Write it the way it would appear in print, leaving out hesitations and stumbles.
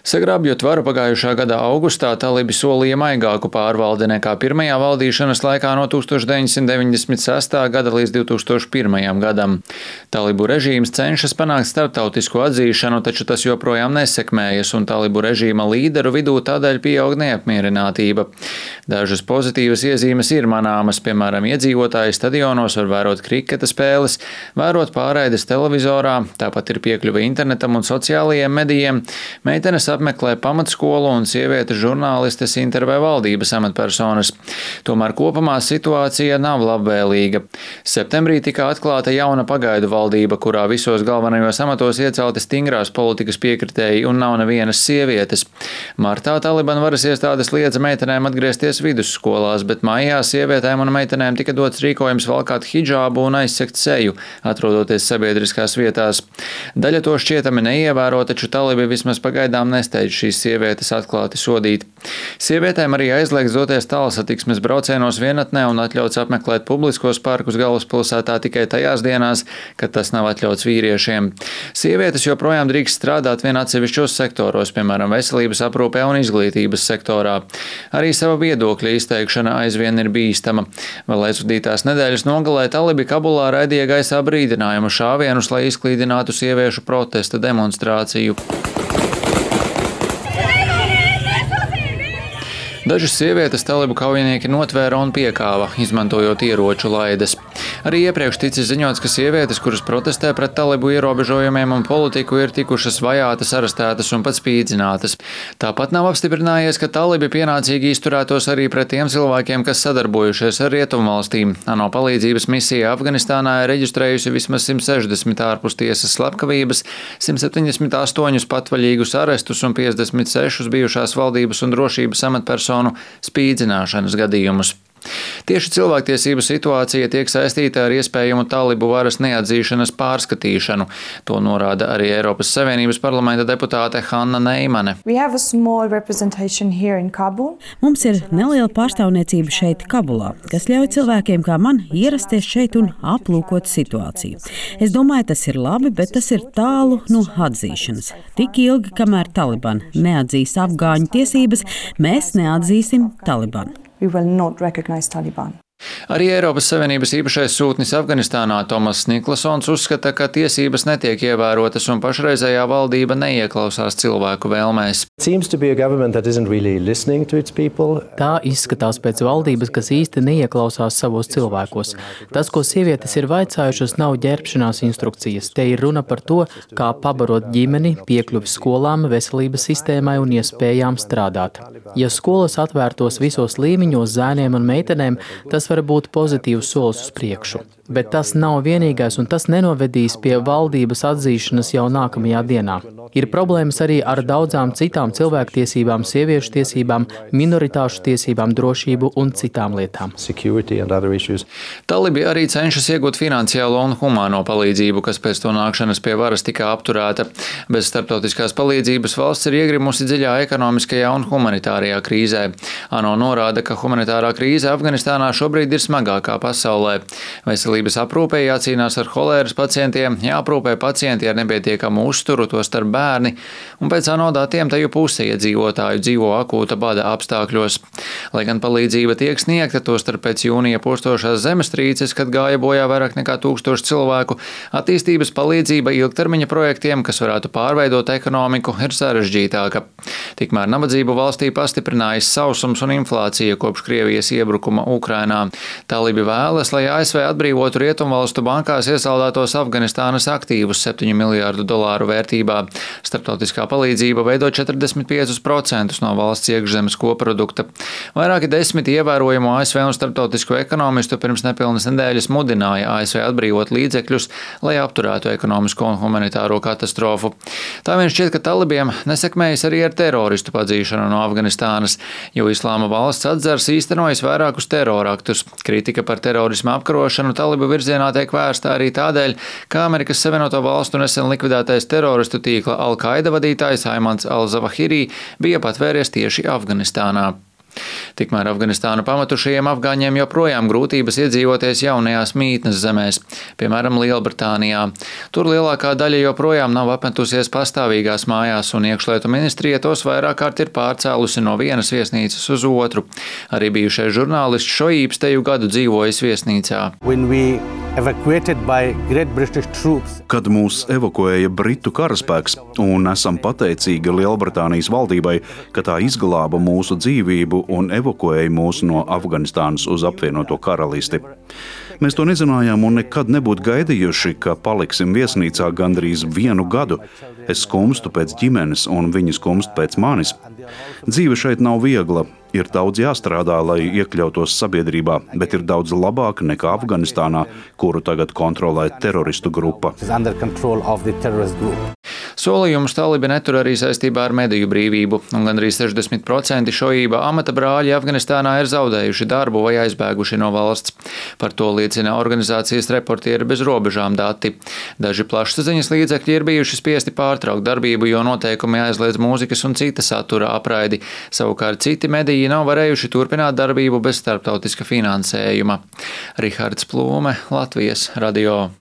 Sagrābjot varu pagājušā gada augustā, talibi solīja maigāku pārvaldi nekā pirmajā valdīšanas laikā no 1996. gada līdz 2001. gadam. Talibu režīms cenšas panākt starptautisku atzīšanu, taču tas joprojām nesekmējas, un talibu režīma līderu vidū tādēļ pieaug neapmierinātība. Dažas pozitīvas iezīmes ir manāmas, piemēram, iedzīvotāji stadionos var vērot kriketa spēles, vērot pārraides televizorā, tāpat ir piekļuve internetam un sociālajiem medijiem. Meitenes apmeklē pamatskolu un sievietes žurnālistes intervē valdības amatpersonas. Tomēr kopumā situācija nav labvēlīga. Septembrī tika atklāta jauna pagaidu valdība, kurā visos galvenajos amatos iecelti stingrās politikas piekritēji un nav nevienas sievietes. Martā Taliban varas iestādes liedza meitenēm atgriezties vidusskolās, bet maijā sievietēm un meitenēm tika dots rīkojums valkāt hidžābu un aizsegt seju, atrodoties sabiedriskās vietās. Daļa to šķietami neievēro, taču talibi vismaz pagaidām nesteidz šīs sievietes atklāti sodīt. Sievietēm arī aizliegts doties tālsatiksmes braucienos vienatnē un atļauts apmeklēt publiskos parkus galvaspilsētā tikai tajās dienās, kad tas nav atļauts vīriešiem. Sievietes joprojām drīkst strādāt vien atsevišķos sektoros, piemēram, veselības aprūpē un izglītības sektorā. Arī sava viedokļa izteikšana aizvien ir bīstama. Vēl aizvadītās nedēļas nogalē talibi Kabulā raidīja gaisā brīdinājumu šāvienus, lai izklīdinātu sieviešu protesta demonstrāciju. Dažas sievietes talibu kaujinieki notvēra un piekāva, izmantojot ieroču laides. Arī iepriekš ticis ziņots, ka sievietes, kuras protestē pret talibu ierobežojumiem un politiku, ir tikušas vajātas, arestētas un pat spīdzinātas. Tāpat nav apstiprinājies, ka talibi pienācīgi izturētos arī pret tiem cilvēkiem, kas sadarbojušies ar rietumvalstīm. ANO palīdzības misija Afganistānā ir reģistrējusi vismaz 160 ārpus tiesas slepkavības, 178 patvaļīgus arestus un 56 bijušās valdības un drošības amatpersonu spīdzināšanas gadījumus. Tieši cilvēktiesību situācija tiek saistīta ar iespējamu talibu varas neatzīšanas pārskatīšanu. To norāda arī Eiropas Savienības parlamenta deputāte Hanna Neimane. Mums ir neliela pārstāvniecība šeit Kabulā, kas ļauj cilvēkiem kā man ierasties šeit un aplūkot situāciju. Es domāju, tas ir labi, bet tas ir tālu no atzīšanas. Tik ilgi, kamēr Taliban neatzīs afgāņu tiesības, mēs neatzīsim Talibanu. Arī Eiropas Savienības īpašais sūtnis Afganistānā Tomas Niklasons uzskata, ka tiesības netiek ievērotas un pašreizējā valdība neieklausās cilvēku vēlmēs. Tā izskatās pēc valdības, kas īsti neieklausās savos cilvēkos. Tas, ko sievietes ir vaicājušas, nav ģērbšanās instrukcijas. Te ir runa par to, kā pabarot ģimeni, piekļuvi skolām, veselības sistēmai un iespējām strādāt. Ja skolas atvērtos visos līmeņos zēniem un meitenēm, tas var būt pozitīvs solis uz priekšu. Bet tas nav vienīgais, un tas nenovedīs pie valdības atzīšanas jau nākamajā dienā. Ir problēmas arī ar daudzām citām cilvēktiesībām, sieviešu tiesībām, minoritāšu tiesībām, drošību un citām lietām. Talibi arī cenšas iegūt finansiālo un humāno palīdzību, kas pēc to nākšanas pie varas tika apturēta. Bez starptautiskās palīdzības valsts ir iegrimusi dziļā ekonomiskajā un humanitārajā krīzē. ANO norāda, ka humanitārā krīze Afganistānā šobrīd ir smagākā pasaulē. Veselības aprūpē jācīnās ar holēras pacientiem, jāaprūpē pacienti ar nepietiekamu uzturu, to starp bērni, un pēc ANO datiem teju puse iedzīvotāju dzīvo akūta bada apstākļos. Lai gan palīdzība tiek sniegta, to starp pēc jūnija postošās zemestrīces, kad gāja bojā vairāk nekā 1000 cilvēku, attīstības palīdzība ilgtermiņa projektiem, kas varētu pārveidot ekonomiku, ir sarežģītāka. Tikmēr nabadzību valstī pastiprinājas sausums un inflācija kopš Krievijas iebrukuma Ukrainā. Talibi vēlas, lai ASV atbrīvotu rietumvalstu bankās iesaldētos Afganistānas aktīvus $7 miljārdu vērtībā. Starptautiskā palīdzība veido 45% no valsts iekšzemes koprodukta. Vairāki 10 ievērojumu ASV un starptautisko ekonomistu pirms nepilnas nedēļas mudināja ASV atbrīvot līdzekļus, lai apturētu ekonomisko un humanitāro katastrofu. Tā vien šķiet, ka talibiem nesekmējas arī ar teroristu padzīšanu no Afganistānas, jo Islāma valsts atzars īstenojas vairākus teroraktus. Kritika par terorismu apkarošanu talibu virzienā tiek vērsta arī tādēļ, ka Amerikas Savienoto Valstu nesen likvidētais teroristu tīkla Al-Qaida vadītājs Aimans al-Zawahiri bija patvēries tieši Afganistānā. Tikmēr Afganistānu pamatušajiem afgāņiem joprojām grūtības iedzīvoties jaunajās mītnes zemēs, piemēram, Lielbritānijā. Tur lielākā daļa joprojām nav apmetusies pastāvīgās mājās, un iekšlietu ministrija tos vairāk kārt ir pārcēlusi no vienas viesnīcas uz otru. Arī bijušais žurnālists Šoības teju gadu dzīvojis viesnīcā. Kad mūs evakuēja Britu karaspēks, un esam pateicīgi Lielbritānijas valdībai, ka tā izglāba mūsu dzīvību un evakuēja mūs no Afganistānas uz apvienoto karalisti. Mēs to nezinājām un nekad nebūtu gaidījuši, ka paliksim viesnīcā gandrīz 1 gadu. Es skumstu pēc ģimenes, un viņi skumst pēc manis. Dzīve šeit nav viegla. Ir daudz jāstrādā, lai iekļautos sabiedrībā, bet ir daudz labāk nekā Afganistānā, kuru tagad kontrolē teroristu grupa. Solījumus talibi netur arī saistībā ar mediju brīvību, un gandrīz 60% Šoība amata brāļi Afganistānā ir zaudējuši darbu vai aizbēguši no valsts. Par to liecina organizācijas Reportieri bez robežām dati. Daži plašsaziņas līdzekļi ir bijuši spiesti pārtraukt darbību, jo noteikumi aizliedz mūzikas un cita satura apraidi. Savukārt citi mediji nav varējuši turpināt darbību bez starptautiska finansējuma. Rihards Plūme, Latvijas radio.